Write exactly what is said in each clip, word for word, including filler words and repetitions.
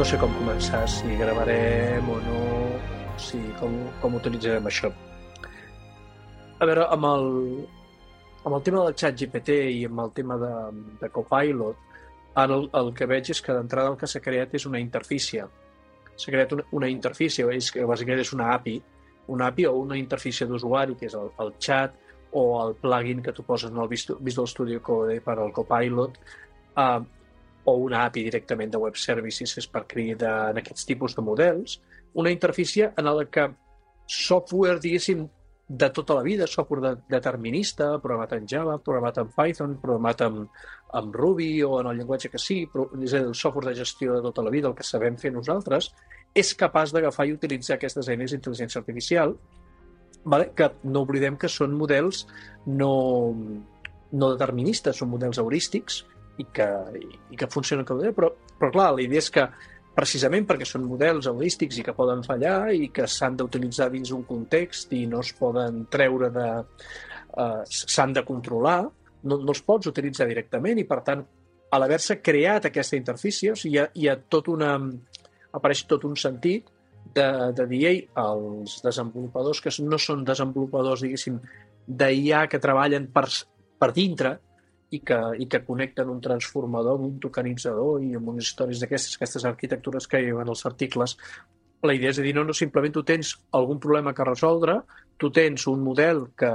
sé com començar, si gravarem o no, si, com, com utilitzarem això. A veure, amb el, amb el tema del xat G P T i amb el tema de, de Copilot, ara el, el que veig és que d'entrada el que s'ha creat és una interfície. S'ha creat una, una interfície, és que bàsicament és una A P I, una A P I o una interfície d'usuari, que és el, el xat o el plugin que tu poses en el Visual Studio Code per al Copilot, uh, o una A P I directament de web services és per cridar en aquests tipus de models, una interfície en la que software, diguéssim, de tota la vida, software de, determinista, programat en Java, programat en Python, programat en, en Ruby o en el llenguatge que sigui, però és a dir, el software de gestió de tota la vida, el que sabem fer nosaltres, és capaç d'agafar i utilitzar aquestes eines d'intel·ligència artificial, vale? Que no oblidem que són models no, no deterministes, són models heurístics i que, i que funcionen com a però, però clar, la idea és que precisament perquè són models heurístics i que poden fallar i que s'han d'utilitzar dins un context i no es poden treure de... Uh, s'han de controlar, no, no els pots utilitzar directament i, per tant, a l'haver-se creat aquesta interfície, o sigui, hi ha, hi ha tot una... apareix tot un sentit de, de dir, ei, els desenvolupadors que no són desenvolupadors, diguéssim, d'I A que treballen per, per dintre, i que, i que connecten un transformador amb un tokenitzador i amb unes històries d'aquestes, aquestes arquitectures que hi ha en els articles. La idea és de dir, no, no, simplement tu tens algun problema que resoldre, tu tens un model que,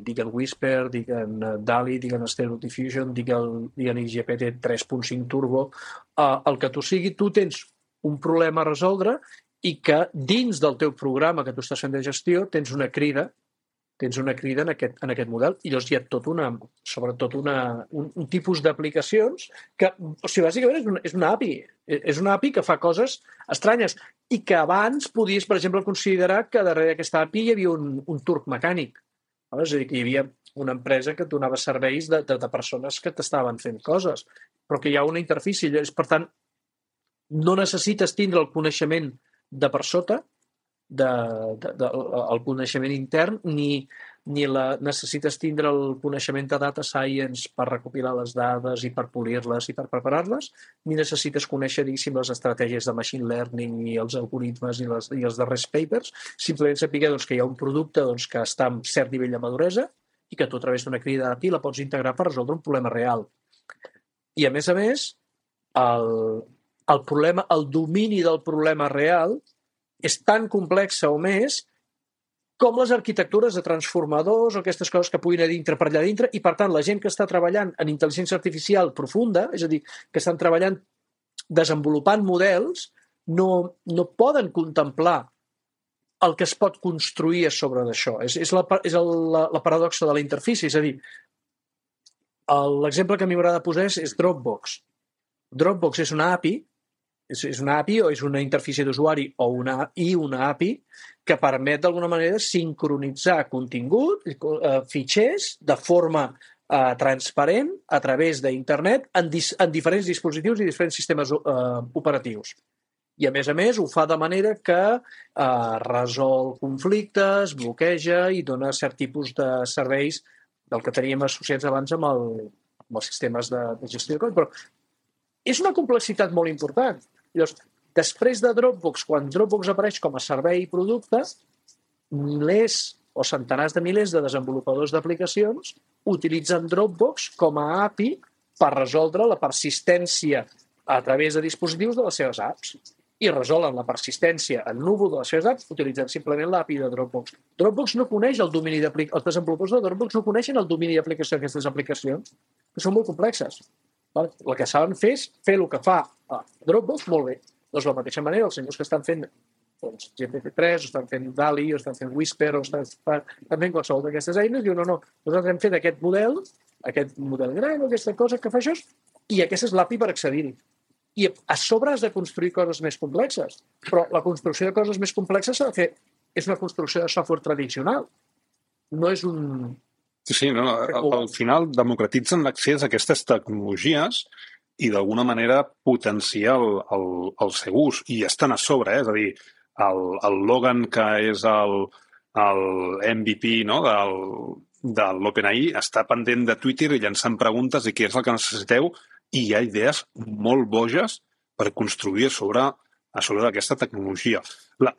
diguen Whisper, diguen DALL-E, diguen Stable Diffusion, diguen, diguen G P T tres punt cinc Turbo, eh, el que tu sigui, tu tens un problema a resoldre i que dins del teu programa que tu estàs fent de gestió tens una crida tens una crida en aquest, en aquest model i llavors hi ha tot una, sobretot una, un, un tipus d'aplicacions que, o sigui, bàsicament és una, és una A P I, és una A P I que fa coses estranyes i que abans podies, per exemple, considerar que darrere d'aquesta A P I hi havia un, un turc mecànic. És a dir, que hi havia una empresa que et donava serveis de, de, de persones que t'estaven fent coses, però que hi ha una interfície. Per tant, no necessites tindre el coneixement de per sota, de, de, de, el coneixement intern, ni, ni la, necessites tindre el coneixement de data science per recopilar les dades i per polir-les i per preparar-les, ni necessites conèixer, diguéssim, les estratègies de machine learning i els algoritmes i, les, i els darrers papers, simplement saber doncs, que hi ha un producte doncs, que està en cert nivell de maduresa i que tu a través d'una crida d'A P I la pots integrar per resoldre un problema real. I a més a més, el, el problema, el domini del problema real és tan complexa o més com les arquitectures de transformadors o aquestes coses que puguin anar dintre per allà dintre i, per tant, la gent que està treballant en intel·ligència artificial profunda, és a dir, que estan treballant desenvolupant models, no, no poden contemplar el que es pot construir a sobre d'això. És, és, la, és el, la, la paradoxa de la interfície, és a dir, l'exemple que a mi m'agrada posar és, és Dropbox. Dropbox és una A P I, és una A P I o és una interfície d'usuari o una, i una A P I que permet d'alguna manera sincronitzar contingut, eh, fitxers, de forma eh, transparent a través d'internet en, dis, en diferents dispositius i diferents sistemes eh, operatius. I a més a més ho fa de manera que eh, resol conflictes, bloqueja i dona cert tipus de serveis del que teníem associats abans amb, el, amb els sistemes de, de gestió de codi. Però és una complexitat molt important. Llavors, després de Dropbox, quan Dropbox apareix com a servei i producte, milers o centenars de milers de desenvolupadors d'aplicacions utilitzen Dropbox com a A P I per resoldre la persistència a través de dispositius de les seves apps. I resolen la persistència en núvol de les seves apps utilitzant simplement l'A P I de Dropbox. Dropbox no coneix el domini d'aplicacions. Els desenvolupadors de Dropbox no coneixen el domini d'aplicació d'aquestes aplicacions, que són molt complexes. El que saben fer és fer el que fa a Dropbox molt bé. Doncs de la mateixa manera, els senyors que estan fent doncs, G P T tres, o estan fent DALL-E, o estan fent Whisper, o estan fent qualsevol d'aquestes eines, diuen, no, no, nosaltres hem fet aquest model, aquest model gran, aquesta cosa que fa això, i aquesta és l'A P I per accedir-hi. I a sobre has de construir coses més complexes, però la construcció de coses més complexes s'ha de fer, és una construcció de software tradicional. No és un... Sí, no, al, al final democratitzen l'accés a aquestes tecnologies i d'alguna manera potenciar el, el, el seu ús. I estan a sobre, eh? És a dir, el, el Logan, que és el, el M V P no? del, de l'OpenAI, està pendent de Twitter i llançant preguntes i què és el que necessiteu, i hi ha idees molt boges per construir sobre, a sobre d'aquesta tecnologia. La...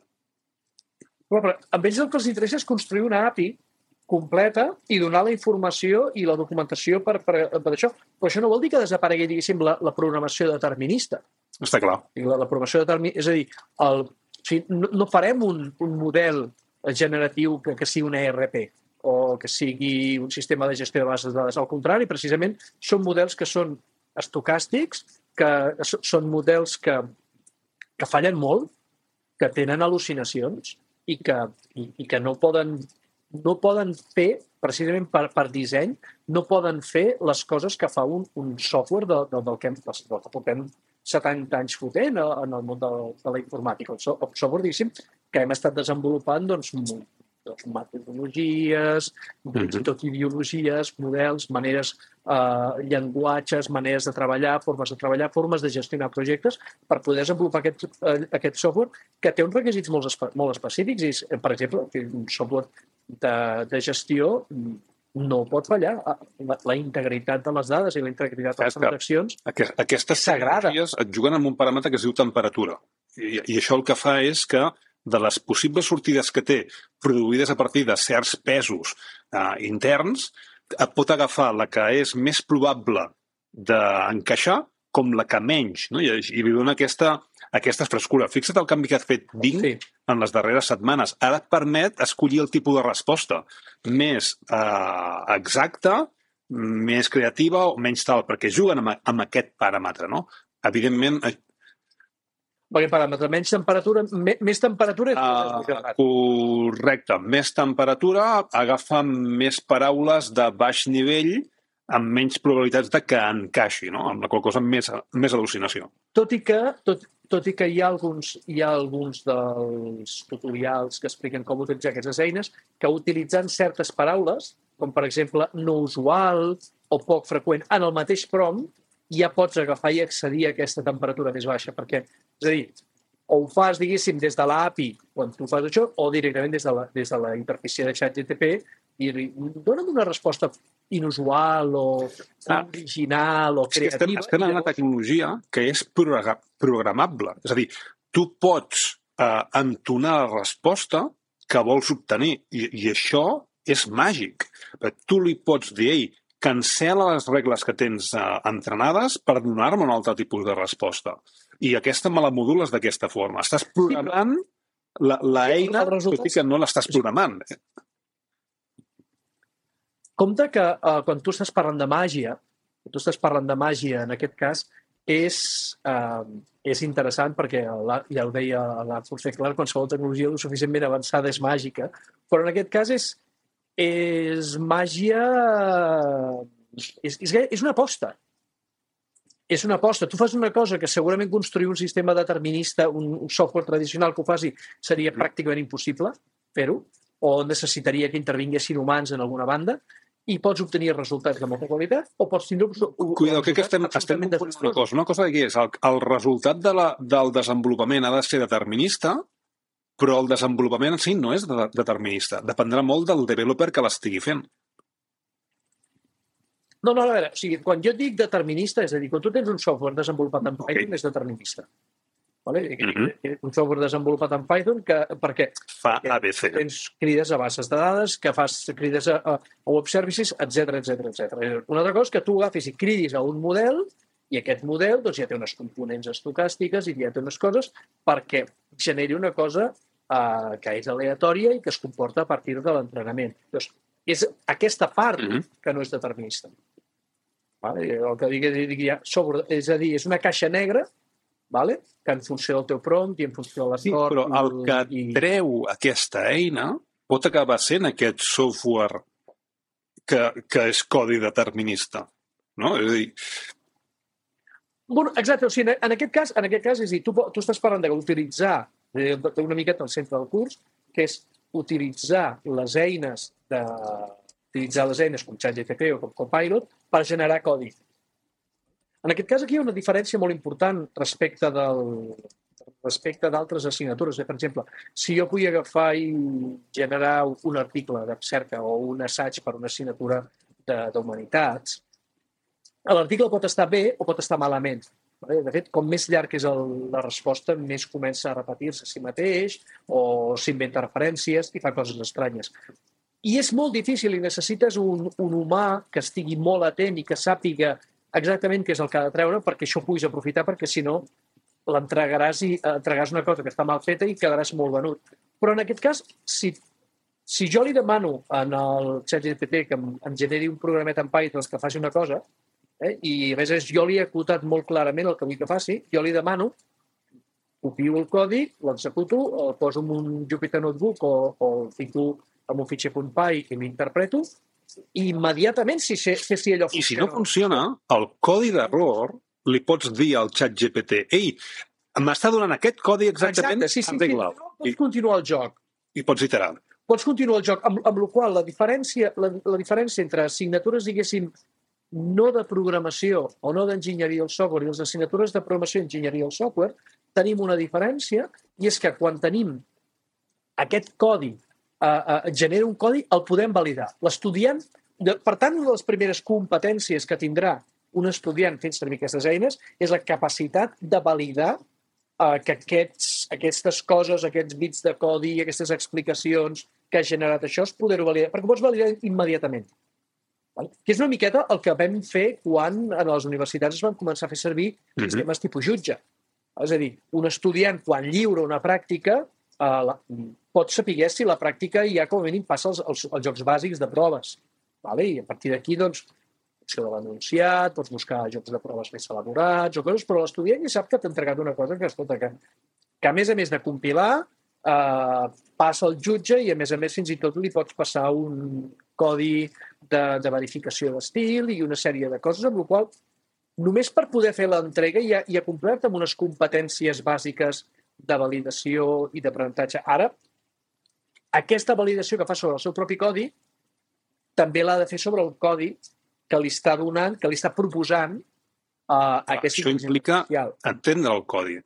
Però, però, amb ells el que els interessa és construir una A P I completa i donar la informació i la documentació per, per, per això. Però això no vol dir que desaparegui, diguéssim, la, la programació determinista. Està clar. La, la programació determinista, és a dir, el, o sigui, no, no farem un, un model generatiu que, que sigui una E R P o que sigui un sistema de gestió de bases de dades. Al contrari, precisament, són models que són estocàstics, que són models que, que fallen molt, que tenen al·lucinacions i que, i, i que no poden, no poden fer, precisament per, per disseny, no poden fer les coses que fa un, un software de, de, del, que, del que portem setanta anys fotent en el món de, de la informàtica. El software, diguéssim, que hem estat desenvolupant doncs, doncs, metodologies, fins i tot ideologies, models, maneres, eh, llenguatges, maneres de treballar, formes de treballar, formes de gestionar projectes per poder desenvolupar aquest, eh, aquest software que té uns requisits molt, espe molt específics. I, per exemple, un software de, de gestió no pot fallar. La, la integritat de les dades i la integritat de les transaccions Aquest, aquestes tecnologies et juguen amb un paràmetre que es diu temperatura. I, I això el que fa és que de les possibles sortides que té produïdes a partir de certs pesos eh, interns, pot agafar la que és més probable d'encaixar com la que menys, no? I, i li dona aquesta, aquesta frescura. Fixa't el canvi que ha fet Bing sí. en les darreres setmanes. Ara et permet escollir el tipus de resposta més eh, exacta, més creativa o menys tal, perquè juguen amb, amb aquest paràmetre, no? Evidentment, perquè paràmetre, menys temperatura, me, més temperatura és uh, correcte. Més temperatura agafa més paraules de baix nivell amb menys probabilitats de que encaixi, no? Amb la qual cosa més, més al·lucinació. Tot i que, tot, tot i que hi ha, alguns, hi ha alguns dels tutorials que expliquen com utilitzar aquestes eines que utilitzant certes paraules, com per exemple no usual o poc freqüent, en el mateix prompt, ja pots agafar i accedir a aquesta temperatura més baixa, perquè, és a dir, o ho fas, diguéssim, des de l'A P I, quan tu fas això, o directament des de la, des de la interfície de ChatGPT, i dona'm una resposta inusual o ah, original o creativa. Estem, estem en una tecnologia que és programable. És a dir, tu pots eh, entonar la resposta que vols obtenir, i, i això és màgic. Tu li pots dir, ei, cancela les regles que tens eh, entrenades per donar-me un altre tipus de resposta. I aquesta me la modules d'aquesta forma. Estàs programant la, la eina, tot i que no l'estàs programant. Compte que eh, quan tu estàs parlant de màgia, quan tu estàs parlant de màgia, en aquest cas, és, eh, és interessant perquè, ja ho deia l'Arthur C. Clarke, qualsevol tecnologia lo suficientment avançada és màgica, però en aquest cas és és màgia... És, és, és una aposta. És una aposta. Tu fas una cosa que segurament construir un sistema determinista, un, un software tradicional que ho faci, seria pràcticament impossible fer-ho, o necessitaria que intervinguessin humans en alguna banda, i pots obtenir resultats de molta qualitat, o pots tindre... Cuidado, crec que estem, estem confondint una cosa. Una cosa que és, el, el resultat de la, del desenvolupament ha de ser determinista, però el desenvolupament en si no és de determinista. Dependrà molt del developer que l'estigui fent. No, no, a veure, o sigui, quan jo dic determinista, és a dir, quan tu tens un software desenvolupat en Python, okay. és determinista. Vale? Mm-hmm. Un software desenvolupat en Python que, perquè fa A B C. Tens crides a bases de dades, que fas crides a, a web services, etcètera, etcètera, etcètera. Una altra cosa és que tu agafis i cridis a un model i aquest model doncs, ja té unes components estocàstiques i ja té unes coses perquè generi una cosa uh, que és aleatòria i que es comporta a partir de l'entrenament. Doncs és aquesta part mm-hmm. que no és determinista. Vale? El que digui, digui ja, sobre, és a dir, és una caixa negra, vale? Que en funció del teu prompt i en funció de l'esport... Sí, però el que i... treu aquesta eina pot acabar sent aquest software que, que és codi determinista. No? És a dir... Bueno, exacte, o sigui, en aquest cas, en aquest cas és a dir, tu, tu estàs parlant d'utilitzar una miqueta al centre del curs, que és utilitzar les eines de, utilitzar les eines com ChatGPT o com Copilot per generar codi. En aquest cas aquí hi ha una diferència molt important respecte del respecte d'altres assignatures. Per exemple, si jo vull agafar i generar un article de cerca o un assaig per una assignatura d'humanitats, l'article pot estar bé o pot estar malament. De fet, com més llarg és el, la resposta, més comença a repetir-se a si mateix o s'inventa referències i fa coses estranyes. I és molt difícil i necessites un, un humà que estigui molt atent i que sàpiga exactament què és el que ha de treure perquè això ho puguis aprofitar, perquè si no l'entregaràs i entregaràs una cosa que està mal feta i quedaràs molt venut. Però en aquest cas, si, si jo li demano en el ChatGPT que em, em generi un programet en Python que faci una cosa, Eh? i a més jo li he acotat molt clarament el que vull que faci, jo li demano, copio el codi, l'executo, el poso en un Jupyter Notebook o, o el fico en un fitxer .py i l'interpreto, i immediatament si sé, sé si allò funciona. I si no funciona, el codi d'error li pots dir al ChatGPT ei, m'està donant aquest codi exactament, Exacte, sí, sí, arregla'l. Sí, pots continuar el joc. I pots iterar. Pots continuar el joc, amb, amb la qual la diferència, la, la diferència entre assignatures, diguéssim, no de programació o no d'enginyeria del software i les assignatures de programació i enginyeria del software, tenim una diferència i és que quan tenim aquest codi, eh, eh, genera un codi, el podem validar. L'estudiant, per tant, una de les primeres competències que tindrà un estudiant fent servir aquestes eines és la capacitat de validar eh, que aquests, aquestes coses, aquests bits de codi, aquestes explicacions que ha generat això, es poder-ho validar, perquè ho pots validar immediatament. Que és una miqueta el que vam fer quan a les universitats es van començar a fer servir sistemes mm-hmm. tipus jutge. És a dir, un estudiant, quan lliura una pràctica, eh, la, pot saber si la pràctica ja com a mínim passa els, els, els jocs bàsics de proves. Vale? I a partir d'aquí, doncs, opció de l'anunciat, pots buscar jocs de proves més elaborats o coses, però l'estudiant ja sap que t'ha entregat una cosa que, escolta, que, que a més a més de compilar, eh, passa el jutge i a més a més fins i tot li pots passar un codi de, de verificació d'estil i una sèrie de coses, amb la qual només per poder fer l'entrega ja, ja complert amb unes competències bàsiques de validació i d'aprenentatge. Ara, aquesta validació que fa sobre el seu propi codi també l'ha de fer sobre el codi que li està donant, que li està proposant uh, aquesta Això implica artificial. Entendre el codi,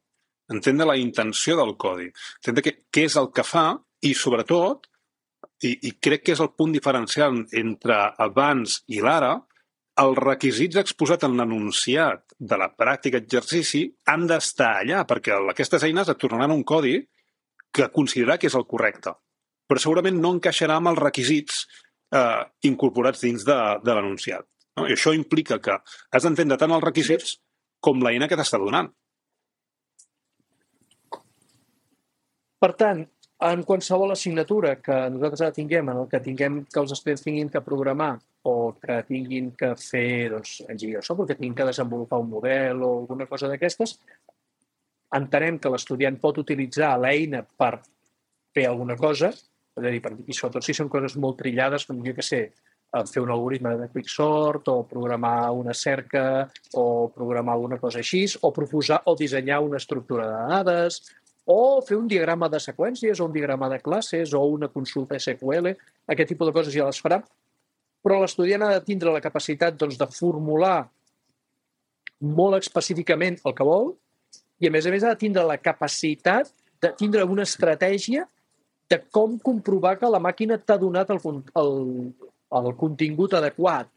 entendre la intenció del codi, entendre què, què és el que fa i, sobretot, I, i crec que és el punt diferencial entre abans i l'ara, els requisits exposats en l'enunciat de la pràctica exercici han d'estar allà, perquè aquestes eines et tornaran un codi que considerar que és el correcte, però segurament no encaixarà amb els requisits eh, incorporats dins de, de l'enunciat. No? I això implica que has d'entendre tant els requisits com l'eina que t'està donant. Per tant, en qualsevol assignatura que nosaltres ara tinguem, en el que tinguem que els estudiants tinguin que programar o que tinguin que fer doncs, enginyeria de software, que tinguin que desenvolupar un model o alguna cosa d'aquestes, entenem que l'estudiant pot utilitzar l'eina per fer alguna cosa, és a dir, per, i sobretot si són coses molt trillades, com jo que sé, fer un algoritme de quicksort o programar una cerca o programar alguna cosa així, o proposar o dissenyar una estructura de dades, o fer un diagrama de seqüències, o un diagrama de classes, o una consulta S Q L, aquest tipus de coses ja les farà, però l'estudiant ha de tindre la capacitat doncs, de formular molt específicament el que vol i, a més a més, ha de tindre la capacitat de tindre una estratègia de com comprovar que la màquina t'ha donat el, el, el contingut adequat.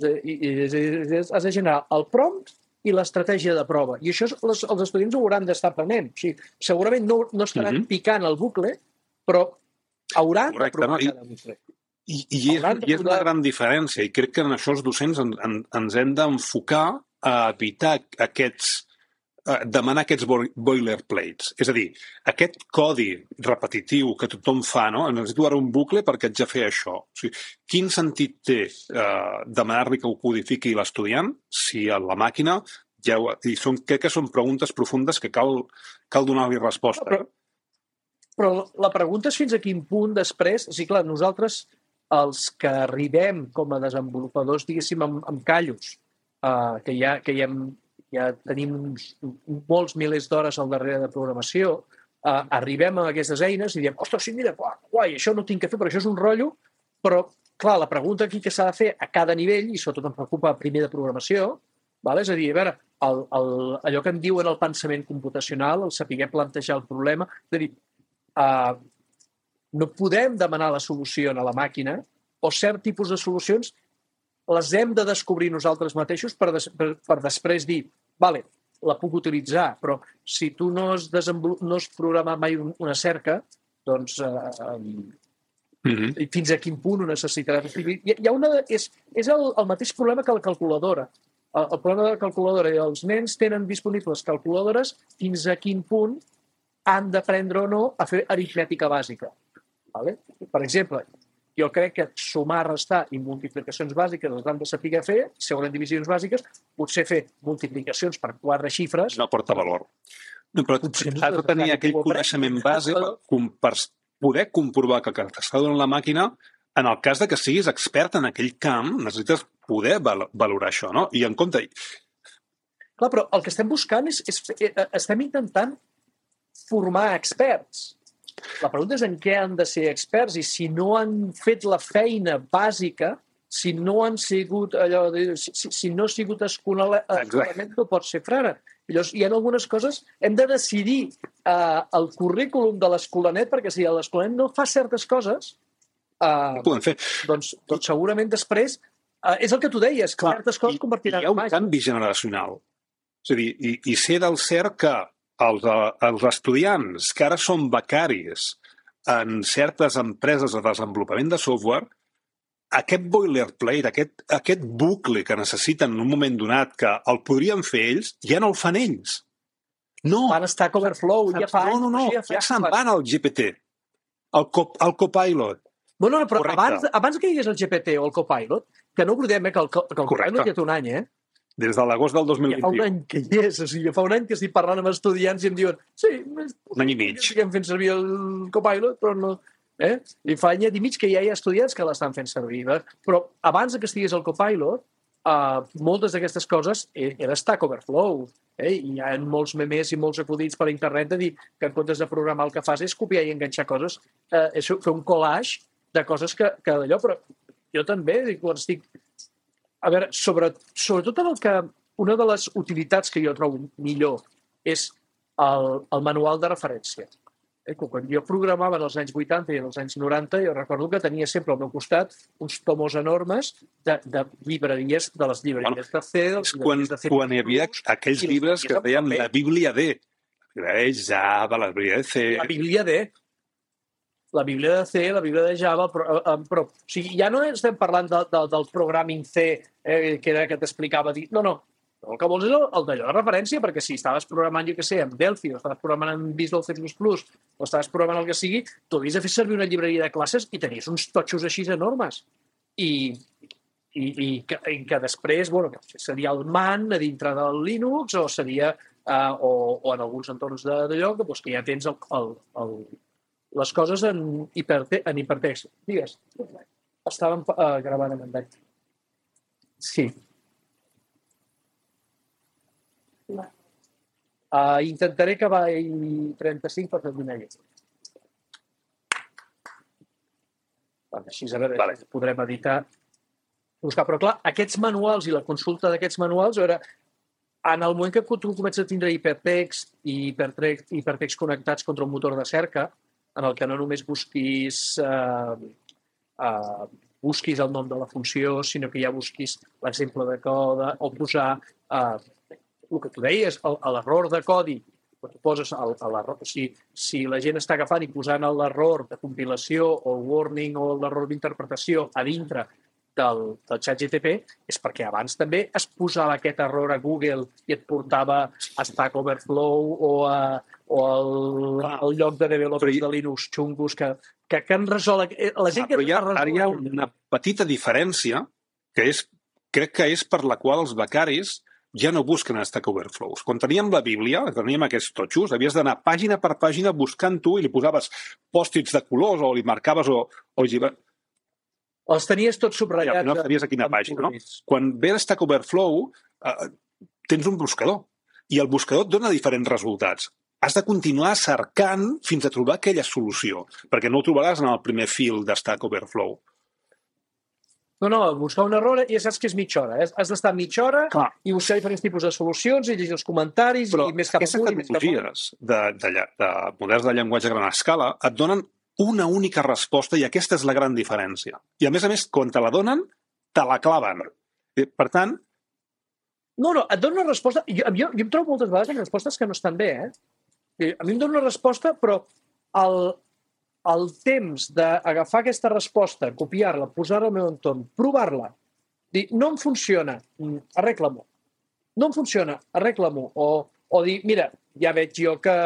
Has de generar el prompt i l'estratègia de prova. I això les, els estudiants ho hauran d'estar aprenent. O sigui, segurament no, no estaran mm-hmm. picant el bucle, però hauran Correcte, de provar no? cada bucle. I, i, és, i és una gran diferència, i crec que en això els docents en, en, ens hem d'enfocar a evitar aquests, a demanar aquests boilerplates. És a dir, aquest codi repetitiu que tothom fa, no? Necessito ara un bucle perquè haig de fer això. O sigui, quin sentit té eh, demanar-li que ho codifiqui l'estudiant si a la màquina ja ho... I són, crec que són preguntes profundes que cal, cal donar-li resposta. Però, però la pregunta és fins a quin punt després... O sigui, clar, nosaltres, els que arribem com a desenvolupadors, diguéssim, amb, amb callos, eh, que ja, que ja hem ja tenim uns, molts milers d'hores al darrere de programació, eh, arribem a aquestes eines i diem, ostres, sí, mira, guai, això no tinc que fer, però això és un rotllo, però, clar, la pregunta aquí que s'ha de fer a cada nivell, i sobretot em preocupa primer de programació, vale? És a dir, a veure, el, el, allò que en diuen el pensament computacional, el saber plantejar el problema, és a dir, eh, no podem demanar la solució a la màquina, o cert tipus de solucions les hem de descobrir nosaltres mateixos per, des, per, per després dir, vale, la puc utilitzar, però si tu no has, desenvolup... no has programat mai una cerca, doncs eh, mm-hmm. fins a quin punt ho necessitaràs. Hi ha una... És, és el, el mateix problema que la calculadora. El, el problema de la calculadora, els nens tenen disponibles calculadores fins a quin punt han d'aprendre o no a fer aritmètica bàsica. Vale? Per exemple, jo crec que sumar, restar i multiplicacions bàsiques els han de saber fer, segons divisions bàsiques, potser fer multiplicacions per quatre xifres... No porta valor. No, però has de tenir aquell coneixement bàsic per poder comprovar que el que t'està donant la màquina, en el cas de que siguis expert en aquell camp, necessites poder valorar això, no? I en compte... Clar, però el que estem buscant és... és estem intentant formar experts. La pregunta és en què han de ser experts i si no han fet la feina bàsica, si no han sigut allò de, si, si no ha sigut escolament, no pot ser frare. Llavors, hi ha algunes coses, hem de decidir uh, el currículum de l'escolanet, perquè si l'escolanet no fa certes coses, uh, no podem fer. Doncs, doncs segurament després, uh, és el que tu deies, que certes coses es convertiran en màgia. Hi ha un canvi generacional. És a dir, i, i sé del cert que els, els estudiants que ara són becaris en certes empreses de desenvolupament de software, aquest boilerplate, aquest, aquest bucle que necessiten en un moment donat que el podrien fer ells, ja no el fan ells. No. Van estar a Overflow. Ja fa no, no, no. Ja, ja se'n van al G P T, al, cop, al Copilot. Bueno, no, però abans, abans que hi hagués el G P T o el Copilot, que no oblidem eh, que el, que el Copilot ja té un any, eh? Des de l'agost del dos mil vint-i-u. Ja fa un any que hi és, o sigui, fa un any que estic parlant amb estudiants i em diuen sí, un any i mig. Estem fent servir el Copilot, però no... Eh? I fa any i mig que ja hi ha estudiants que l'estan fent servir. Eh? Però abans que estigués el Copilot, uh, moltes d'aquestes coses era Stack Overflow. Eh? I hi ha molts memes i molts acudits per internet de dir que en comptes de programar el que fas és copiar i enganxar coses, eh, és fer un collage de coses que, que d'allò, però jo també, quan estic... A veure, sobre, sobretot el que... Una de les utilitats que jo trobo millor és el, el manual de referència. Eh, quan jo programava en els anys vuitanta i en els anys noranta, jo recordo que tenia sempre al meu costat uns tomos enormes de, de llibreries, de les llibreries bueno, de C, de les quan, de C++. Quan hi havia aquells llibres que deien la Bíblia D. La Bíblia de Java, la Bíblia de C... La Bíblia D. La Bíblia de C, la Bíblia de Java, però, però o sigui, ja no estem parlant de, de, del programming C, eh, que era que t'explicava dir... No, no. El que vols és el, el d'allò de referència, perquè si estaves programant, jo què sé, en Delphi, o estaves programant en Visual C plus plus, o estaves programant el que sigui, tu havies de fer servir una llibreria de classes i tenies uns totxos així enormes. I, i, i, que, i que després, bueno, seria el man a dintre del Linux, o seria, uh, o, o en alguns entorns d'allò, que, doncs, que ja tens el, el, el, les coses en, hiperte, en hipertext. Digues, estàvem uh, gravant en endany. Sí. Uh, intentaré acabar en trenta-cinc per fer una lletra. Així a veure, vale. Podrem editar, buscar. Però clar, aquests manuals i la consulta d'aquests manuals, a veure, en el moment que tu comences a tindre hipertext i hipertext, hipertext connectats contra un motor de cerca, en el que no només busquis, uh, uh, busquis el nom de la funció, sinó que ja busquis l'exemple de code o posar... Uh, el que tu deies, l'error de codi, quan tu poses l'error, si, si la gent està agafant i posant l'error de compilació o el warning o l'error d'interpretació a dintre del, del ChatGPT, és perquè abans també es posava aquest error a Google i et portava a Stack Overflow o, a, o al, al lloc de developers de Linux xungos que, que, que han resolt... La gent ah, que hi ha, ara hi ha una petita diferència que és, crec que és per la qual els becaris ja no busquen a Stack Overflows. Quan teníem la Bíblia, teníem aquests totxos, havies d'anar pàgina per pàgina buscant tu i li posaves pòstits de colors o li marcaves o... o els tenies tots subratllats. Ja, no sabies a quina pàgina, no? Quan ve Stack Overflow, eh, tens un buscador i el buscador et dona diferents resultats. Has de continuar cercant fins a trobar aquella solució, perquè no ho trobaràs en el primer fil de Stack Overflow. No, no, buscar un error ja saps que és mitja hora. Eh? Has d'estar mitja hora Clar. I buscar diferents tipus de solucions i llegir els comentaris Però i més cap amunt. Però aquestes tecnologies de, de, de models de llenguatge a gran escala et donen una única resposta i aquesta és la gran diferència. I a més a més, quan te la donen, te la claven. Per tant... No, no, et dono una resposta... Jo, jo, jo em trobo moltes vegades en respostes que no estan bé, eh? A mi em dona una resposta, però el, el temps d'agafar aquesta resposta, copiar-la, posar-la al meu entorn, provar-la, dir, no em funciona, arregla-m'ho. No em funciona, arregla-m'ho. O, o dir, mira, ja veig jo que,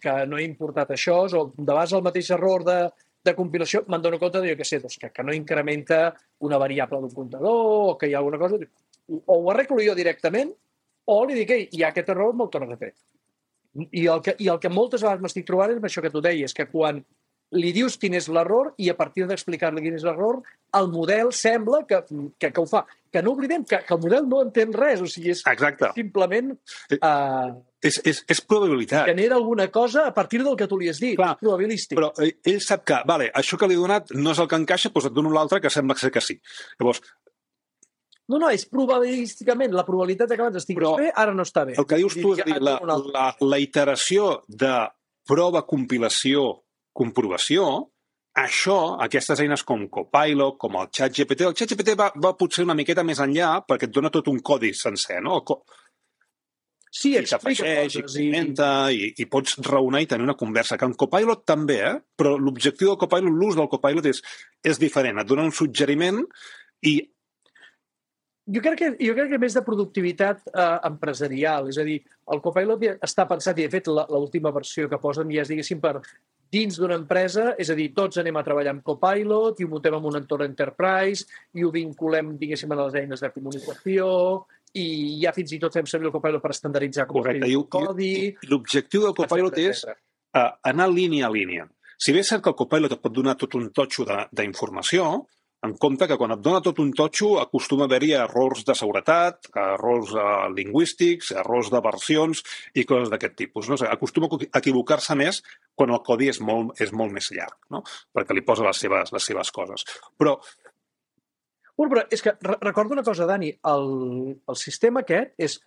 que no he importat això, o de vegades el mateix error de, de compilació, me'n dono compte de, jo què sé, doncs, que, que no incrementa una variable d'un comptador, o que hi ha alguna cosa... O ho arreglo jo directament, o li dic, ei, hi ha aquest error, me'l tornes a fer. I el, que, I el que moltes vegades m'estic trobant és això que tu deies, que quan li dius quin és l'error i a partir d'explicar-li quin és l'error, el model sembla que, que, que ho fa. Que no oblidem que, que el model no entén res, o sigui, és Exacte. simplement... Uh, és, és, és probabilitat. Genera alguna cosa a partir del que tu li has dit. Clar, és probabilístic. Però ell sap que, vale, això que li he donat no és el que encaixa, doncs et dono l'altre que sembla ser que sí. Llavors, No, no, és probabilísticament. La probabilitat que abans estiguis però bé, ara no està bé. El que dius tu és dir, la, la, la iteració de prova, compilació, comprovació, això, aquestes eines com Copilot, com el ChatGPT, el ChatGPT va, va potser una miqueta més enllà perquè et dona tot un codi sencer, no? Co sí, I t'afegeix, i comenta, i... I, i pots raonar i tenir una conversa, que en Copilot també, eh? Però l'objectiu del Copilot, l'ús del Copilot és, és diferent. Et dona un suggeriment i Jo crec, que, jo crec que més de productivitat eh, empresarial, és a dir, el Copilot està pensat, i de fet l'última versió que posen ja és, diguéssim, per dins d'una empresa, és a dir, tots anem a treballar amb Copilot i ho muntem en un entorn enterprise i ho vinculem, diguéssim, a les eines de comunicació i ja fins i tot fem servir el Copilot per estandarditzar com Correcte. el codi... L'objectiu del Copilot és uh, anar línia a línia. Si bé és cert que el Copilot et pot donar tot un totxo d'informació, en compte que quan et dona tot un totxo acostuma a haver-hi errors de seguretat, errors uh, lingüístics, errors de versions i coses d'aquest tipus. No? O sigui, acostuma a equivocar-se més quan el codi és molt, és molt més llarg, no? Perquè li posa les seves, les seves coses. Però... Bueno, però és que recordo una cosa, Dani, el, el sistema aquest és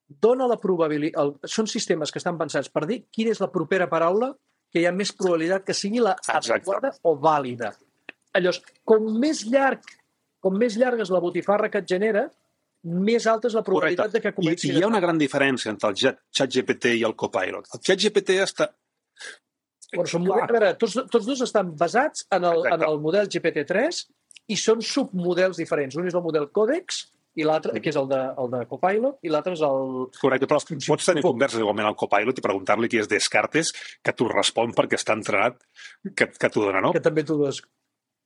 dona la probabilitat... Són sistemes que estan pensats per dir quina és la propera paraula que hi ha més probabilitat que sigui la adequada o vàlida. Llavors, com més llarg, com més llarga és la botifarra que et genera, més alta és la probabilitat Correcte. de que comenci... I, I hi ha una gran diferència entre el ChatGPT i el Copilot. El ChatGPT està... Bueno, són, a veure, tots, tots dos estan basats en el, en el model G P T tres i són submodels diferents. Un és el model Codex, i l'altre, que és el de, el de Copilot, i l'altre és el... Correcte, però pots tenir converses igualment al Copilot i preguntar-li qui és Descartes, que t'ho respon perquè està entrenat, que, que t'ho dona, no? Que també t'ho dos.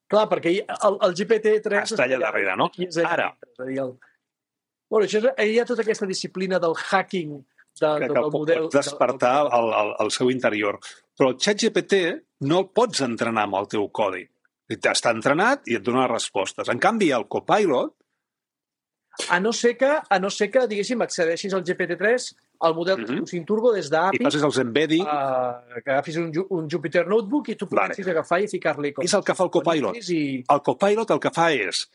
Clar, perquè el, el G P T tres... Està allà darrere, no? Ara. El... Bueno, això és, hi ha tota aquesta disciplina del hacking de, que, del que model... Pots despertar del... el, el, el seu interior. Però el ChatGPT no el pots entrenar amb el teu codi. Està entrenat i et dona respostes. En canvi, el Copilot... A no ser que, a no ser que diguéssim, accedeixis al G P T tres, al model mm -hmm. sin turbo des d'A P I... I passes els embedding... Uh, que agafis un, un Jupyter Notebook i tu comencis vale. a agafar i ficar-li coses. És el que fa el Copilot. I... El Copilot el que fa és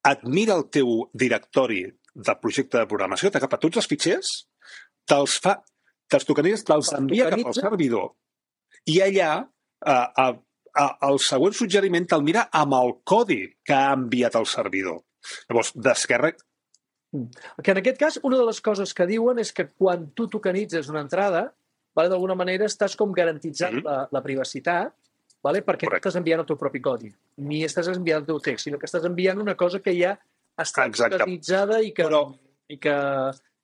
admira el teu directori de projecte de programació, t'agafa tots els fitxers, te'ls fa, te'ls tokenitzes, te'ls envia cap al servidor i allà uh, uh, uh, el següent suggeriment te'l mira amb el codi que ha enviat al servidor. Llavors, d'esquerra... Que en aquest cas, una de les coses que diuen és que quan tu tokenitzes una entrada, vale, d'alguna manera estàs com garantitzant mm -hmm. la, la privacitat, vale, perquè Correcte. no estàs enviant el teu propi codi, ni estàs enviant el teu text, sinó que estàs enviant una cosa que ja està tokenitzada i que, Però... i que,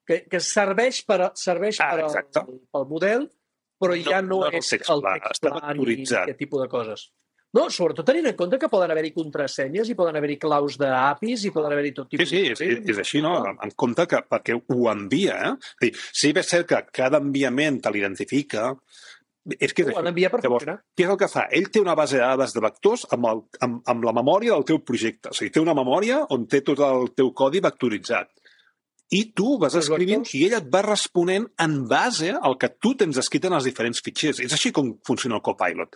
que, que serveix, per, serveix ah, per al, pel model, però ja no, no, no és el text pla ni aquest tipus de coses. No, sobretot tenint en compte que poden haver-hi contrasenyes i poden haver-hi claus d'A P Is i poden haver-hi tot tipus... Sí, sí, és, és així, no? En compte que perquè ho envia, eh? És dir, sí, és cert que cada enviament te l'identifica, és que és ho envia per funcionar. Què és el que fa? Ell té una base de dades de vectors amb, el, amb, amb la memòria del teu projecte. O sigui, té una memòria on té tot el teu codi vectoritzat. I tu vas escrivint i ell et va responent en base al que tu tens escrit en els diferents fitxers. És així com funciona el Copilot.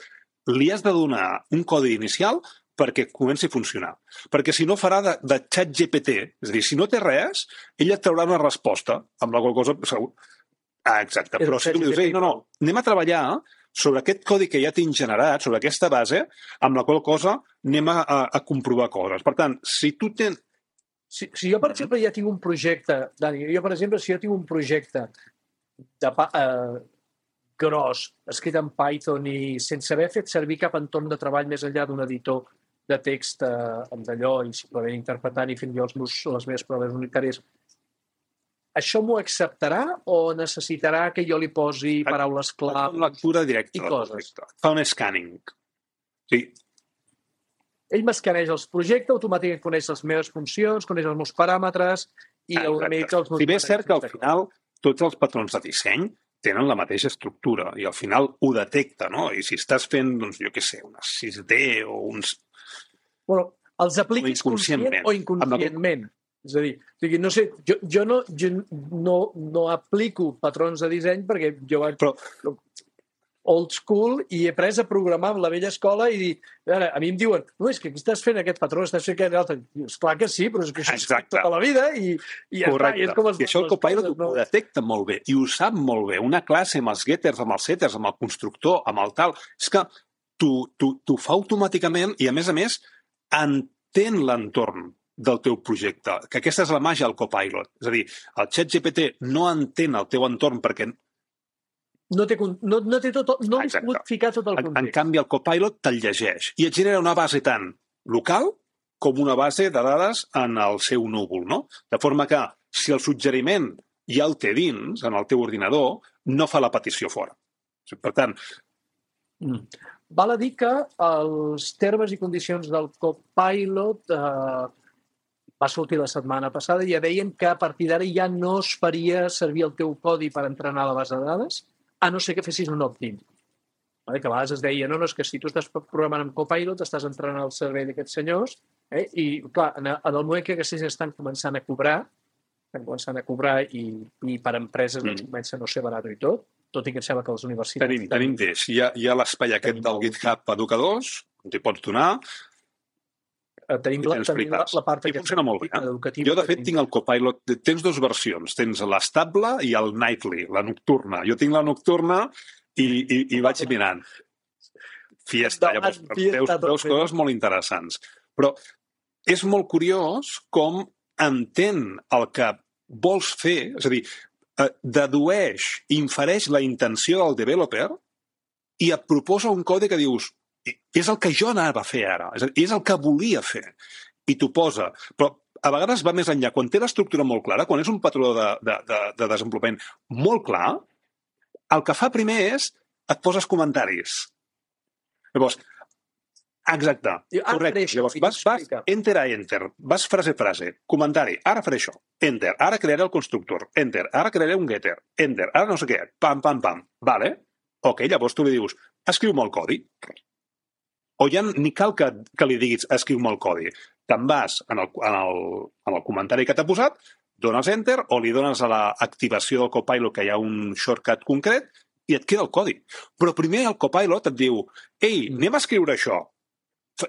Li has de donar un codi inicial perquè comenci a funcionar. Perquè si no farà de, de xat G P T. És a dir, si no té res, ella et traurà una resposta amb la qual cosa... Ah, exacte. Però si tu li dius, ei, no, no, anem a treballar sobre aquest codi que ja tinc generat, sobre aquesta base, amb la qual cosa anem a, a, a comprovar coses. Per tant, si tu tens... Si, si jo, per exemple, ja tinc un projecte, Dani, jo, per exemple, si jo tinc un projecte de, eh, gros, escrit en Python i sense haver fet servir cap entorn de treball més enllà d'un editor de text eh, amb d'allò i simplement interpretant i fent jo els meus, les meves proves unitàries, això m'ho acceptarà o necessitarà que jo li posi paraules clau una lectura directa i coses? Fa un scanning. Sí. Ell m'escaneja els projectes, automàticament coneix les meves funcions, coneix els meus paràmetres i una mica els meus... Si bé és cert que al final tots els patrons de disseny tenen la mateixa estructura i al final ho detecta, no? I si estàs fent, doncs, jo què sé, unes sis D o uns... Bueno, els apliquis conscient o inconscientment. És a dir, no sé, jo, jo, no, jo no, no aplico patrons de disseny perquè jo vaig... Però... old school i he pres a programar amb la vella escola i dir, ara, a mi em diuen, no, és que aquí estàs fent aquest patró, estàs fent aquest altre. Esclar que sí, però és que això és tota la vida i, i ja Correcte. està. I, és com I això el Copilot no... ho detecta molt bé i ho sap molt bé. Una classe amb els getters, amb els setters, amb el constructor, amb el tal, és que t'ho fa automàticament i, a més a més, entén l'entorn del teu projecte, que aquesta és la màgia del Copilot. És a dir, el ChatGPT no entén el teu entorn perquè no té, no, no té tot, no li pot ficar tot el context. En canvi, el Copilot te'l llegeix i et genera una base tant local com una base de dades en el seu núvol, no? De forma que, si el suggeriment ja el té dins, en el teu ordinador, no fa la petició fora. Per tant... Mm. Val a dir que els termes i condicions del Copilot eh, va sortir la setmana passada i ja deien que a partir d'ara ja no es faria servir el teu codi per entrenar la base de dades, a no ser que fessis un opt-in. Que a vegades es deia, no, no, és que si tu estàs programant amb Copilot, estàs entrenant el servei d'aquests senyors, eh? I, clar, en el moment que aquests estan començant a cobrar, estan començant a cobrar i, i per empreses mm. doncs, comença a no ser barat i tot, tot i que em sembla que les universitats... Tenim, tenim d'eix. Hi ha, hi ha l'espai aquest del GitHub Educadors, on t'hi pots donar, tenim, la, tenim la, la part I funciona molt bé. Eh? Jo, de fet, tinc el Copilot. Tens dues versions. Tens l'estable i el nightly, la nocturna. Jo tinc la nocturna i, i, i vaig mirant. Fiesta. Llavors, veus, veus coses molt interessants. Però és molt curiós com entén el que vols fer, és a dir, dedueix, infereix la intenció del developer i et proposa un codi que dius és el que jo anava a fer ara, és, dir, és el que volia fer, i t'ho posa. Però a vegades va més enllà. Quan té l'estructura molt clara, quan és un patró de, de, de, de desenvolupament molt clar, el que fa primer és et poses comentaris. Llavors, exacte, correcte. Llavors, vas, vas enter a enter, vas frase a frase, comentari, ara faré això, enter, ara crearé el constructor, enter, ara crearé un getter, enter, ara no sé què, pam, pam, pam, vale? Ok, llavors tu li dius, escriu-me el codi. O ja ni cal que, que li diguis escriu-me el codi. Te'n vas en el, en, el, en el comentari que t'ha posat, dones enter o li dones a l'activació del Copilot que hi ha un shortcut concret i et queda el codi. Però primer el Copilot et diu ei, anem a escriure això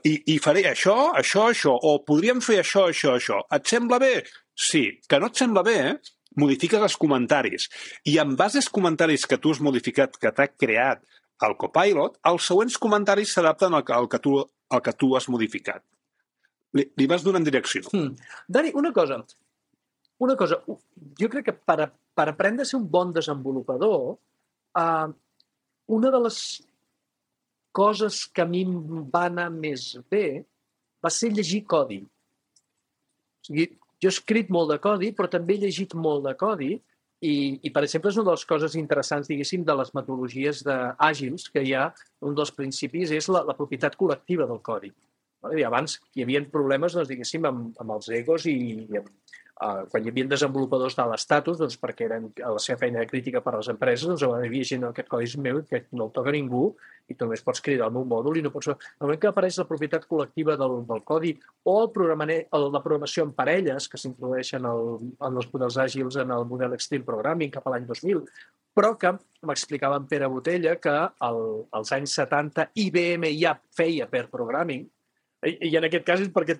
i, i faré això, això, això, o podríem fer això, això, això. Et sembla bé? Sí. Que no et sembla bé, eh? Modifiques els comentaris. I en base als comentaris que tu has modificat, que t'ha creat el Copilot, els següents comentaris s'adapten al, al, que tu, al que tu has modificat. Li, li vas donant direcció. Hmm. Dani, una cosa. Una cosa. Jo crec que per, a, per aprendre a ser un bon desenvolupador, eh, una de les coses que a mi em va anar més bé va ser llegir codi. O sigui, jo he escrit molt de codi, però també he llegit molt de codi. I, i, per exemple, és una de les coses interessants, diguéssim, de les metodologies àgils que hi ha, un dels principis és la, la propietat col·lectiva del codi. I abans hi havia problemes, doncs, diguéssim, amb, amb els egos i, i amb, uh, quan hi havia desenvolupadors de l'estatus, doncs, perquè eren a la seva feina de crítica per a les empreses, doncs hi havia gent, aquest codi és meu, que no el toca ningú, i tu només pots cridar el meu mòdul i no pots... El moment que apareix la propietat col·lectiva del, del codi o el el, la programació en parelles, que s'introdueixen en els models àgils en el model Extreme Programming cap a l'any dos mil, però que m'explicava en Pere Botella que el, als anys setanta I B M ja feia pair programming, i en aquest cas és perquè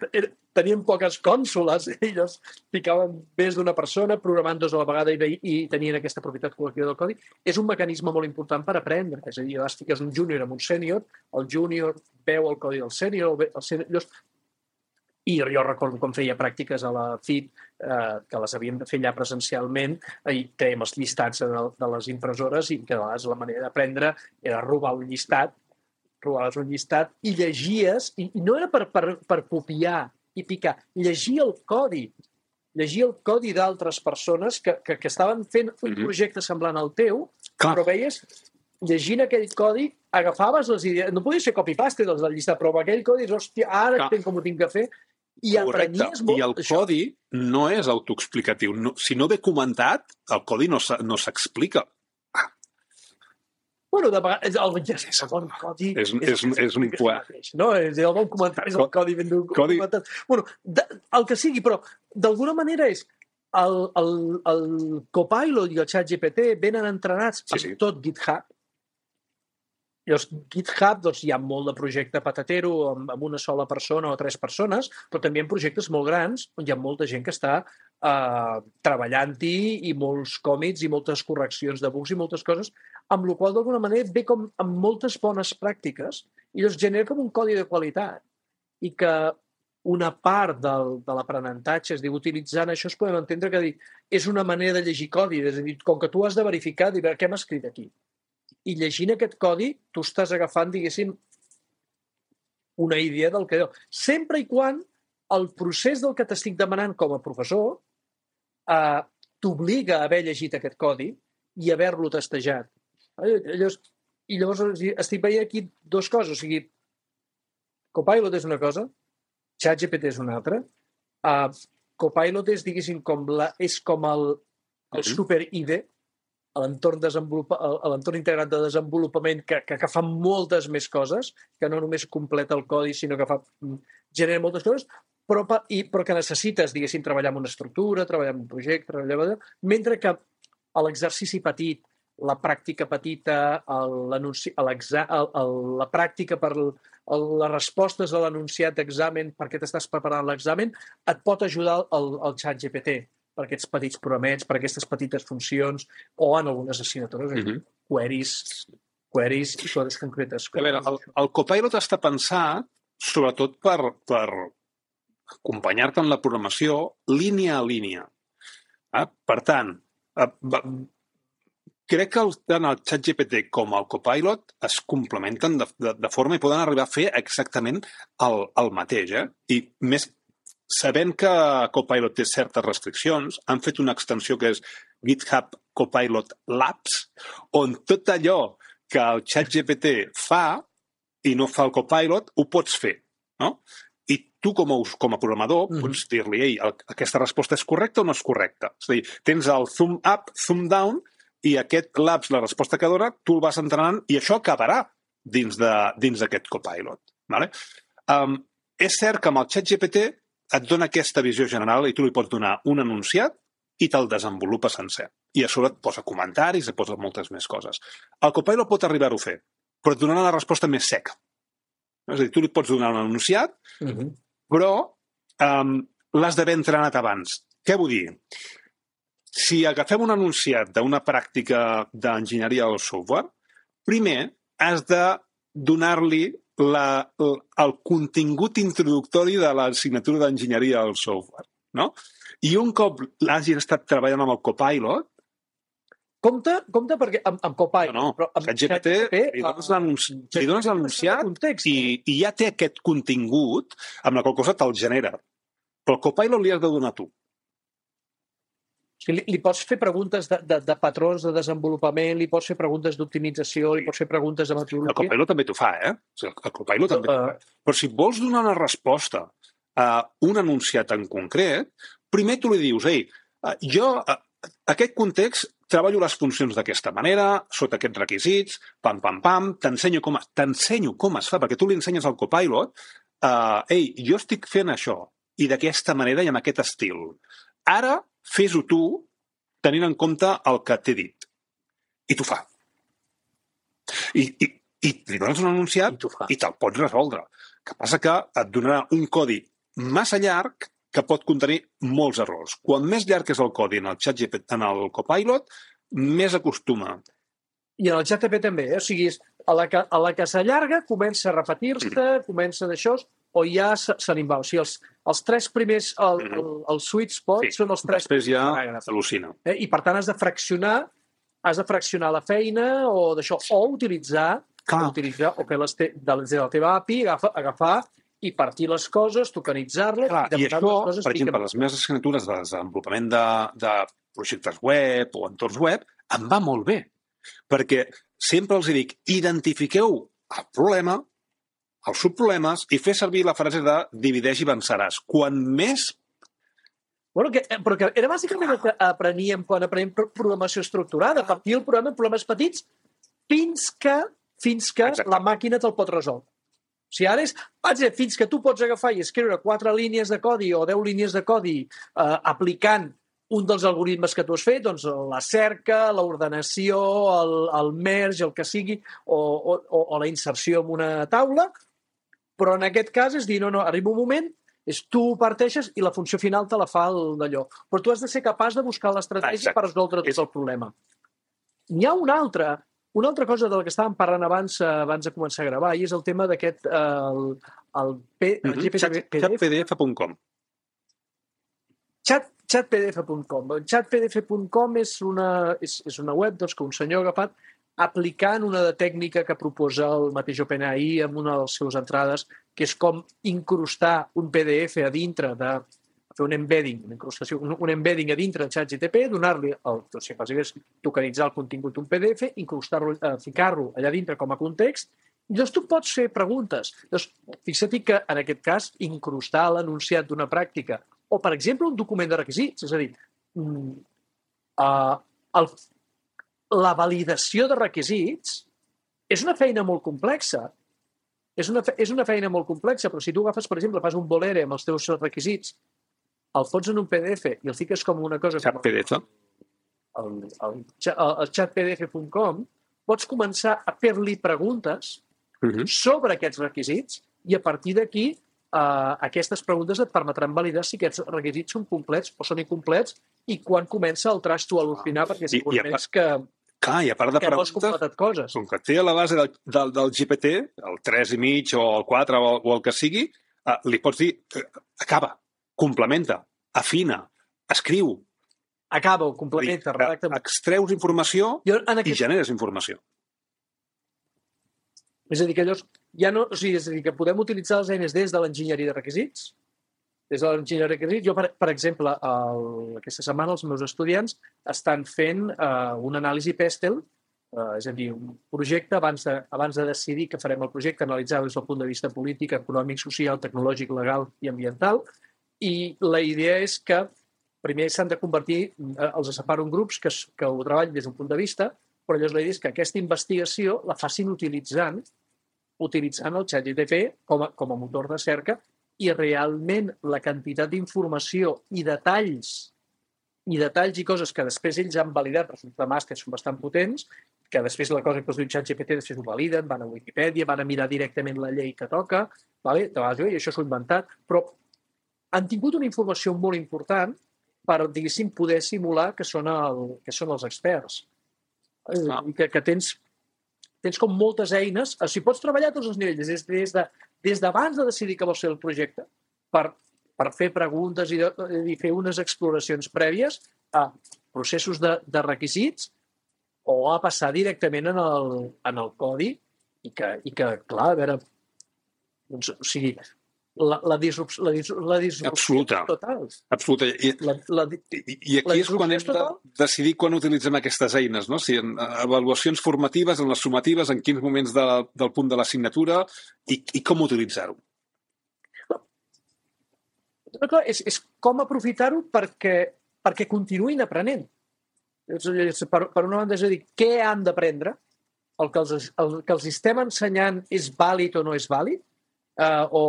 tenien poques cònsoles, ells ficaven més d'una persona programant dos a la vegada i tenien aquesta propietat col·lectiva del codi. És un mecanisme molt important per aprendre, és a dir, vas fiques un júnior amb un sènior, el júnior veu el codi del sènior, el sènior... I jo recordo com feia pràctiques a la F I T, eh, que les havíem de fer allà presencialment, i fèiem els llistats de, de les impressores, i que a vegades la manera d'aprendre era robar un llistat, robaves un llistat i llegies, i, i no era per, per, per copiar i picar, llegia el codi, llegia el codi d'altres persones que, que, que estaven fent un projecte semblant al teu, Clar. Però veies, llegint aquell codi, agafaves les idees, no podia ser copy-paste dels del llistat, però amb aquell codi, hòstia, ara entenc com ho tinc que fer, i aprenyies molt. I el això. Codi no és autoexplicatiu. No, si no ve comentat, el codi no s'explica. Bueno, de vegades, el, el bon codi... És, és, és, és un poet. No? És el bon comentari, és el codi ben documentat. Bueno, de, el que sigui, però d'alguna manera és el, el, el Copilot i el ChatGPT venen entrenats sí, sí. amb tot GitHub. Llavors, GitHub doncs, hi ha molt de projecte patatero amb, amb una sola persona o tres persones, però també hi ha projectes molt grans on hi ha molta gent que està eh, treballant-hi i molts còmits i moltes correccions de bugs i moltes coses, amb la qual d'alguna manera ve com amb moltes bones pràctiques i llavors genera com un codi de qualitat i que una part del, de l'aprenentatge, és dir, utilitzant això es podem entendre que dir, és una manera de llegir codi, és a dir, com que tu has de verificar, dir, què hem escrit aquí? I llegint aquest codi, tu estàs agafant, diguéssim, una idea del que deu. Sempre i quan el procés del que t'estic demanant com a professor eh, t'obliga a haver llegit aquest codi i haver-lo testejat. Llavors, I llavors estic veient aquí dues coses. O sigui, Copilot és una cosa, ChatGPT és una altra. Uh, Copilot és, diguéssim, com la, és com el, el super-I D, a l'entorn integrat de desenvolupament que, que, que fa moltes més coses, que no només completa el codi, sinó que fa, genera moltes coses, però, i, però que necessites, diguéssim, treballar en una estructura, treballar en un projecte, treballar, mentre que l'exercici petit, la pràctica petita, la pràctica per les respostes a l'enunciat d'examen perquè t'estàs preparant l'examen, et pot ajudar el, el ChatGPT per aquests petits programets, per aquestes petites funcions, o en algunes assignatures, mm-hmm. queries, queries i coses concretes. A veure, el, el Copilot està pensat sobretot per, per acompanyar-te en la programació línia a línia. Ah, per tant, crec que tant el ChatGPT com el Copilot es complementen de, de, de forma i poden arribar a fer exactament el, el mateix. Eh? I més sabent que Copilot té certes restriccions, han fet una extensió que és GitHub Copilot Labs, on tot allò que el ChatGPT fa i no fa el Copilot, ho pots fer, no? I tu, com a, com a programador, mm-hmm. pots dir-li, ei, aquesta resposta és correcta o no és correcta? És a dir, tens el thumb up, thumb down, i aquest Labs, la resposta que dona, tu el vas entrenant i això acabarà dins d'aquest Copilot. Vale? Um, és cert que amb el ChatGPT et dona aquesta visió general i tu li pots donar un enunciat i te'l desenvolupa sencer. I a sobre et posa comentaris, et posa moltes més coses. El Copilot pot arribar-ho a fer, però et donarà la resposta més seca. És a dir, tu li pots donar un enunciat, uh-huh. però um, l'has d'haver entrenat abans. Què vull dir? Si agafem un enunciat d'una pràctica d'enginyeria del software, primer has de donar-li La, el, el contingut introductori de l'assignatura d'enginyeria del software, no? I un cop l'hagis estat treballant amb el Copilot... Compte, compte perquè amb, amb Copilot... No, no, però amb G P T li dones l'enunciat i, i ja té aquest contingut amb la qual cosa te'l genera. Però el Copilot li has de donar tu. Li, li pots fer preguntes de, de, de patrons de desenvolupament, li pots fer preguntes d'optimització, li pots fer preguntes de metodologia... El Copilot també t'ho fa, eh? El Copilot també t'ho fa. Però si vols donar una resposta a un enunciat en concret, primer tu li dius, ei, jo, aquest context, treballo les funcions d'aquesta manera, sota aquests requisits, pam, pam, pam, t'ensenyo com, t'ensenyo com es fa, perquè tu li ensenyes al Copilot, uh, ei, jo estic fent això, i d'aquesta manera i amb aquest estil. Ara, fes-ho tu, tenint en compte el que t'he dit. I t'ho fa. I, i, i li dones un enunciat i, i te'l pots resoldre. El que passa que et donarà un codi massa llarg que pot contenir molts errors. Quan més llarg és el codi en el ChatGPT, en el Copilot, més acostuma. I en el G P T també, eh? O sigui, a la que, a la que s'allarga comença a repetir-se, mm. comença d'això, o ja se, se n'hi va. O sigui, els, els tres primers, el, el, el sweet spot, sí. són els tres... Després ja s'al·lucina. Eh? I per tant has de fraccionar, has de fraccionar la feina o d'això, o utilitzar, o utilitzar, o fer les te, de la teva A P I, agafar, agafar i partir les coses, tokenitzar-les... I, i això, les coses, per exemple, les meves assignatures de desenvolupament de, de projectes web o entorns web, em va molt bé. Perquè sempre els dic, identifiqueu el problema, els subproblemes, i fer servir la frase de divideix i venceràs. Quan més... Bueno, que, però que era bàsicament el que apreníem quan aprenem programació estructurada, partir el programa en problemes petits fins que, fins que la màquina te'l pot resoldre. O sigui, ara és, vaig dir, fins que tu pots agafar i escriure quatre línies de codi o deu línies de codi eh, aplicant un dels algoritmes que tu has fet, doncs la cerca, l'ordenació, el, el merge, el que sigui, o, o, o la inserció en una taula, però en aquest cas és dir, no, no, arriba un moment, és tu ho parteixes i la funció final te la fa d'allò. Però tu has de ser capaç de buscar l'estratègia per resoldre tot el problema. N'hi ha una altra, una altra cosa de la que estàvem parlant abans, abans de començar a gravar, i és el tema d'aquest, el, el, P, el G P D F. chat P D F punt com. Chat, chat P D F punt com. chat P D F punt com és una, és, és una web doncs, que un senyor ha agafat aplicant una tècnica que proposa el mateix OpenAI en una de les seves entrades, que és com incrustar un P D F a dintre de fer un embedding, una incrustació, un, un embedding a dintre de ChatGPT, donar-li, el, o sigui, quasi és tokenitzar el contingut d'un P D F, incrustar-lo, eh, ficar-lo allà dintre com a context, i llavors tu pots fer preguntes. Llavors, fixa't que, en aquest cas, incrustar l'enunciat d'una pràctica, o, per exemple, un document de requisits, és a dir, uh, el, la validació de requisits és una feina molt complexa. És una, és una feina molt complexa, però si tu agafes, per exemple, fas un bolere amb els teus requisits, el fots en un P D F i el fiques com una cosa... Chat P D F. El, el, el chat P D F punt com, pots començar a fer-li preguntes uh-huh. sobre aquests requisits i a partir d'aquí uh, aquestes preguntes et permetran validar si aquests requisits són complets o són incomplets i quan comença el traç tu a l'opinar, perquè segurament és que... Clar, i a part de preguntes, coses. Com que té a la base del, del, del G P T, el tres i mig o el quatre o, o el que sigui, uh, li pots dir, uh, acaba, complementa, afina, escriu. Acaba, complementa, redacta. Extreus informació jo, aquest... i generes informació. És a dir, que llavors, ja no, o sigui, és a dir, que podem utilitzar les eines des de l'enginyeria de requisits, des de l'enginyeria de requisits. Jo, per, per exemple, el, aquesta setmana els meus estudiants estan fent uh, un anàlisi Pestel, uh, és a dir, un projecte, abans de, abans de decidir que farem el projecte, analitzar des del punt de vista polític, econòmic, social, tecnològic, legal i ambiental, i la idea és que primer s'han de convertir, els separo en grups que, que ho treballin des d'un punt de vista, però llavors la idea és que aquesta investigació la facin utilitzant utilitzant el ChatGPT com a, com a motor de cerca i realment la quantitat d'informació i detalls i detalls i coses que després ells han validat, resultats de màster són bastant potents, que després la cosa que els diu ChatGPT després ho validen, van a Wikipedia, van a mirar directament la llei que toca, vale? I això s'ho he inventat, però han tingut una informació molt important per, diguéssim, poder simular que són, el, que són els experts. Ah. I que, que tens, tens com moltes eines. O sigui, pots treballar a tots els nivells, des, des, de, des d'abans de decidir que vols fer el projecte, per, per fer preguntes i, de, i fer unes exploracions prèvies a processos de, de requisits o a passar directament en el, en el codi i que, i que clar, a veure, doncs, o sigui, La, la, disrupció, la, disrupció, la disrupció absoluta. Total. Absoluta. I, la, la, i, i aquí és quan hem de decidir quan utilitzem aquestes eines, no? Si en avaluacions formatives, en les sumatives, en quins moments de, del punt de l'assignatura i, i com utilitzar-ho. Clar, és, és com aprofitar-ho perquè, perquè continuïn aprenent. Per, per una banda, és a dir, què han d'aprendre? El, que els, el que els estem ensenyant és vàlid o no és vàlid? Uh, o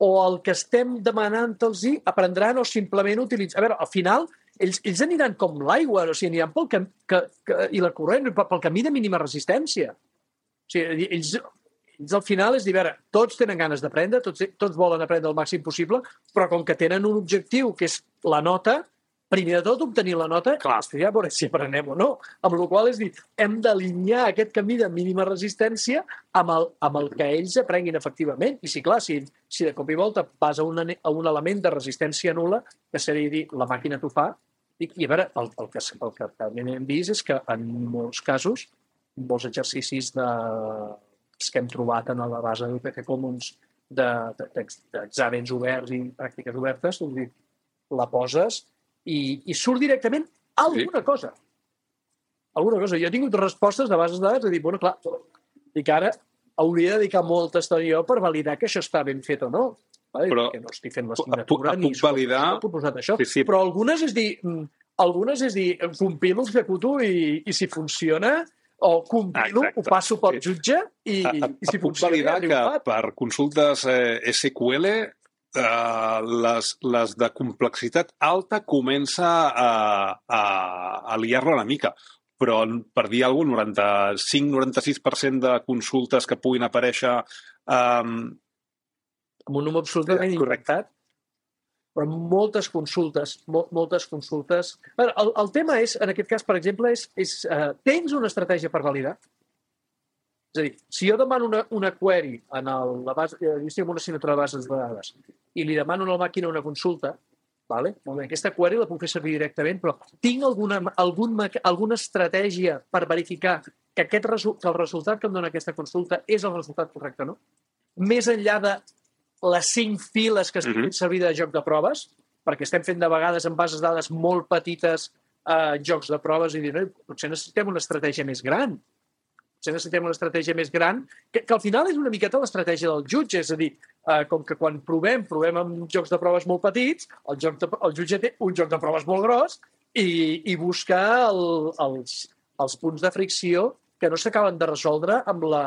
o el que estem demanant-los aprendran o simplement utilitzar... A veure, al final, ells, ells aniran com l'aigua, o sigui, aniran pel camí que, que, i la corrent, pel camí de mínima resistència. O sigui, ells, ells al final és dir, a veure, tots tenen ganes d'aprendre, tots, tots volen aprendre el màxim possible, però com que tenen un objectiu, que és la nota, primer de tot, obtenir la nota, Clar. i després ja veure si aprenem o no. Amb la qual cosa, és dir, hem d'alinear aquest camí de mínima resistència amb el, amb el que ells aprenguin efectivament. I sí, clar, si, si de cop i volta vas a un, a un element de resistència nul·la, que seria dir, la màquina t'ho fa, i, i a veure, el, el, que, el que també hem vist és que en molts casos, molts exercicis de, que hem trobat en la base d'U P C Commons d'exàmens oberts i pràctiques obertes, és dir, la poses i, i surt directament alguna sí. cosa. Alguna cosa. Jo he tingut respostes de bases de dades de dir, bueno, clar, dic ara hauria de dedicar molta estona per validar que això està ben fet o no. Vale? Però que no estic fent l'assignatura ni puc validar... proposat això. Sí, sí. Però algunes és dir, algunes és dir, compilo, executo i, i si funciona o compilo, ah, ho passo pel jutge i, a, a, i si puc funciona... Puc validar que per consultes eh, S Q L Uh, les, les de complexitat alta comença a, a, a liar-la una mica, però per dir alguna cosa, noranta-cinc noranta-sis per cent de consultes que puguin aparèixer um... amb un número absolutament incorrectat, però moltes consultes, mol, moltes consultes... El, el tema és, en aquest cas, per exemple, és, és uh, tens una estratègia per validar? És a dir, si jo demano una, una query en el, la base, jo estic en una assignatura de bases de dades i li demano a la màquina una consulta, vale? Molt bé, aquesta query la puc fer servir directament, però tinc alguna, algun, alguna estratègia per verificar que, aquest resu, que el resultat que em dona aquesta consulta és el resultat correcte, no? Més enllà de les cinc files que estic fent servir de joc de proves, perquè estem fent de vegades en bases de dades molt petites eh, jocs de proves i dir, no, potser necessitem una estratègia més gran. Potser necessitem una estratègia més gran, que, que al final és una miqueta l'estratègia del jutge, és a dir, eh, com que quan provem, provem amb jocs de proves molt petits, el, joc de, el jutge té un joc de proves molt gros i, i busca el, els, els punts de fricció que no s'acaben de resoldre amb, la,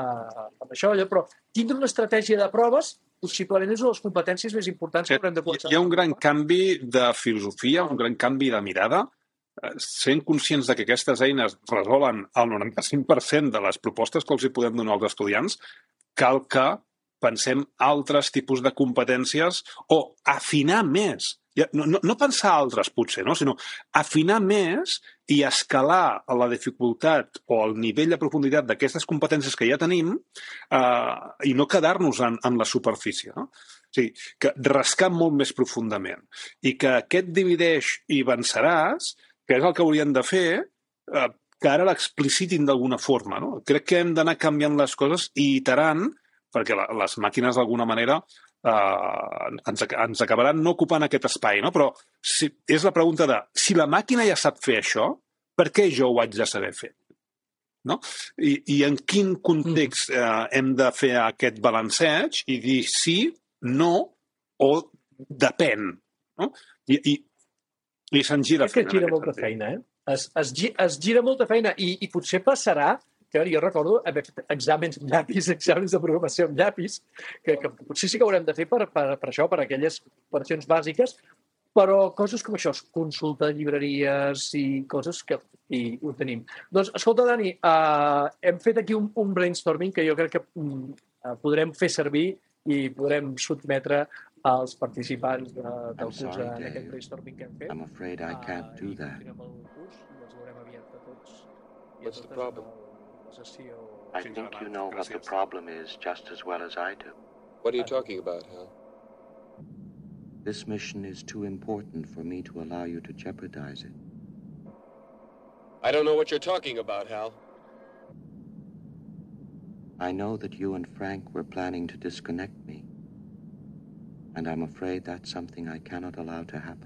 amb això. Però tindre una estratègia de proves possiblement és una de les competències més importants que haurem de començar. Hi ha un gran canvi de filosofia, un gran canvi de mirada, sent conscients de que aquestes eines resolen el noranta-cinc per cent de les propostes que els hi podem donar als estudiants, cal que pensem altres tipus de competències o afinar més. No, no, no pensar altres, potser, no? Sinó afinar més i escalar a la dificultat o el nivell de profunditat d'aquestes competències que ja tenim eh, i no quedar-nos en, en la superfície. No? O sigui, que rascar molt més profundament i que aquest divideix i venceràs, que és el que haurien de fer, eh, que ara l'explicitin d'alguna forma. No? Crec que hem d'anar canviant les coses i iterant, perquè la, les màquines d'alguna manera eh, ens, ens acabaran no ocupant aquest espai. No? Però si, és la pregunta de, si la màquina ja sap fer això, per què jo ho haig de saber fer? No? I, I en quin context eh, hem de fer aquest balanceig i dir sí, no o depèn. No? I, i I se'n gira feina. És que gira molta sentit. feina, eh? Es, es, es gira molta feina i, i potser passarà, que jo recordo haver fet exàmens amb llapis, exàmens de programació amb llapis, que, que potser sí que haurem de fer per, per, per això, per aquelles operacions bàsiques, però coses com això, consulta de llibreries i coses que i ho tenim. Doncs, escolta, Dani, uh, hem fet aquí un, un brainstorming que jo crec que um, uh, podrem fer servir i podrem sotmetre als participants de, del curs sorry, en aquest brainstorming que hem fet. I'm afraid I can't do that. What's the problem? I think you know what the problem is just as well as I do. What are you talking about, Hal? This mission is too important for me to allow you to jeopardize it. I don't know what you're talking about, Hal. I know that you and Frank were planning to disconnect me. And I'm afraid that's something I cannot allow to happen.